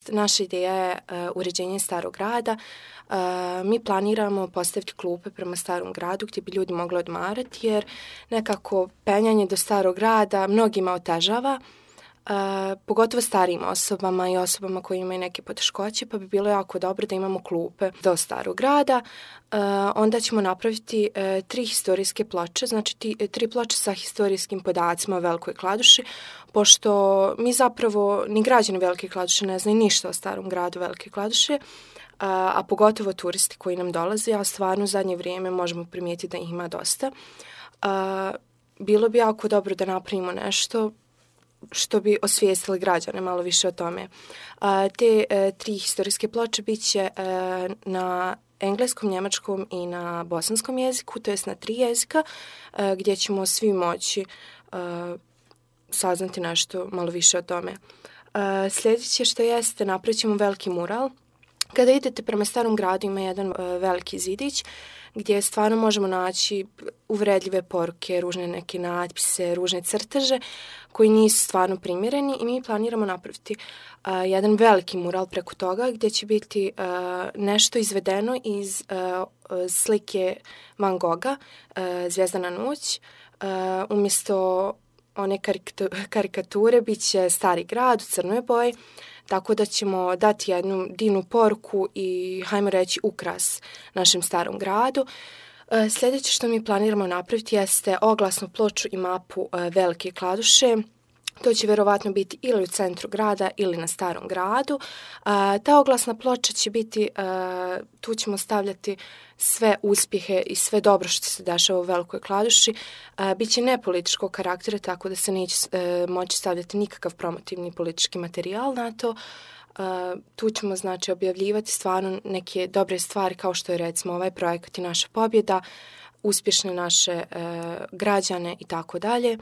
Naša ideja je uređenje Starog grada. Mi planiramo postaviti klupe prema Starom gradu gdje bi ljudi mogli odmarati, jer nekako penjanje do Starog grada mnogima otežava, pogotovo starijim osobama i osobama koji imaju neke poteškoće, pa bi bilo jako dobro da imamo klupe do Starog grada. Onda ćemo napraviti 3 historijske ploče, znači 3 ploče sa historijskim podacima o Velikoj Kladuši, pošto mi zapravo ni građani Velike Kladuše ne znaju ništa o Starom gradu Velike Kladuše, a pogotovo turisti koji nam dolaze, a stvarno u zadnje vrijeme možemo primijetiti da ih ima dosta. Bilo bi jako dobro da napravimo nešto što bi osvijestili građane malo više o tome. Te 3 historijske ploče bit će na engleskom, njemačkom i na bosanskom jeziku, to jest na 3 jezika, gdje ćemo svi moći saznati nešto malo više o tome. Sljedeće što jeste, napravit ćemo veliki mural. Kada idete prema Starom gradu ima jedan veliki zidić gdje stvarno možemo naći uvredljive poruke, ružne neke natpise, ružne crteže koji nisu stvarno primjereni i mi planiramo napraviti jedan veliki mural preko toga gdje će biti nešto izvedeno iz slike Van Gogha, Zvijezdana noć. Umjesto one karikature bit će Stari grad u crnoj boji, tako da ćemo dati jednu divnu poruku i, hajmo reći, ukras našem Starom gradu. Sljedeće što mi planiramo napraviti jeste oglasnu ploču i mapu Velike Kladuše. To će vjerovatno biti ili u centru grada ili na Starom gradu. Ta oglasna ploča će biti, tu ćemo stavljati sve uspjehe i sve dobro što se dešava u Velikoj Kladuši. Biće nepolitičkog karaktera, tako da se neće moći stavljati nikakav promotivni politički materijal na to. Tu ćemo znači objavljivati stvarno neke dobre stvari kao što je recimo ovaj projekat i naša pobjeda, uspješne naše građane i tako dalje.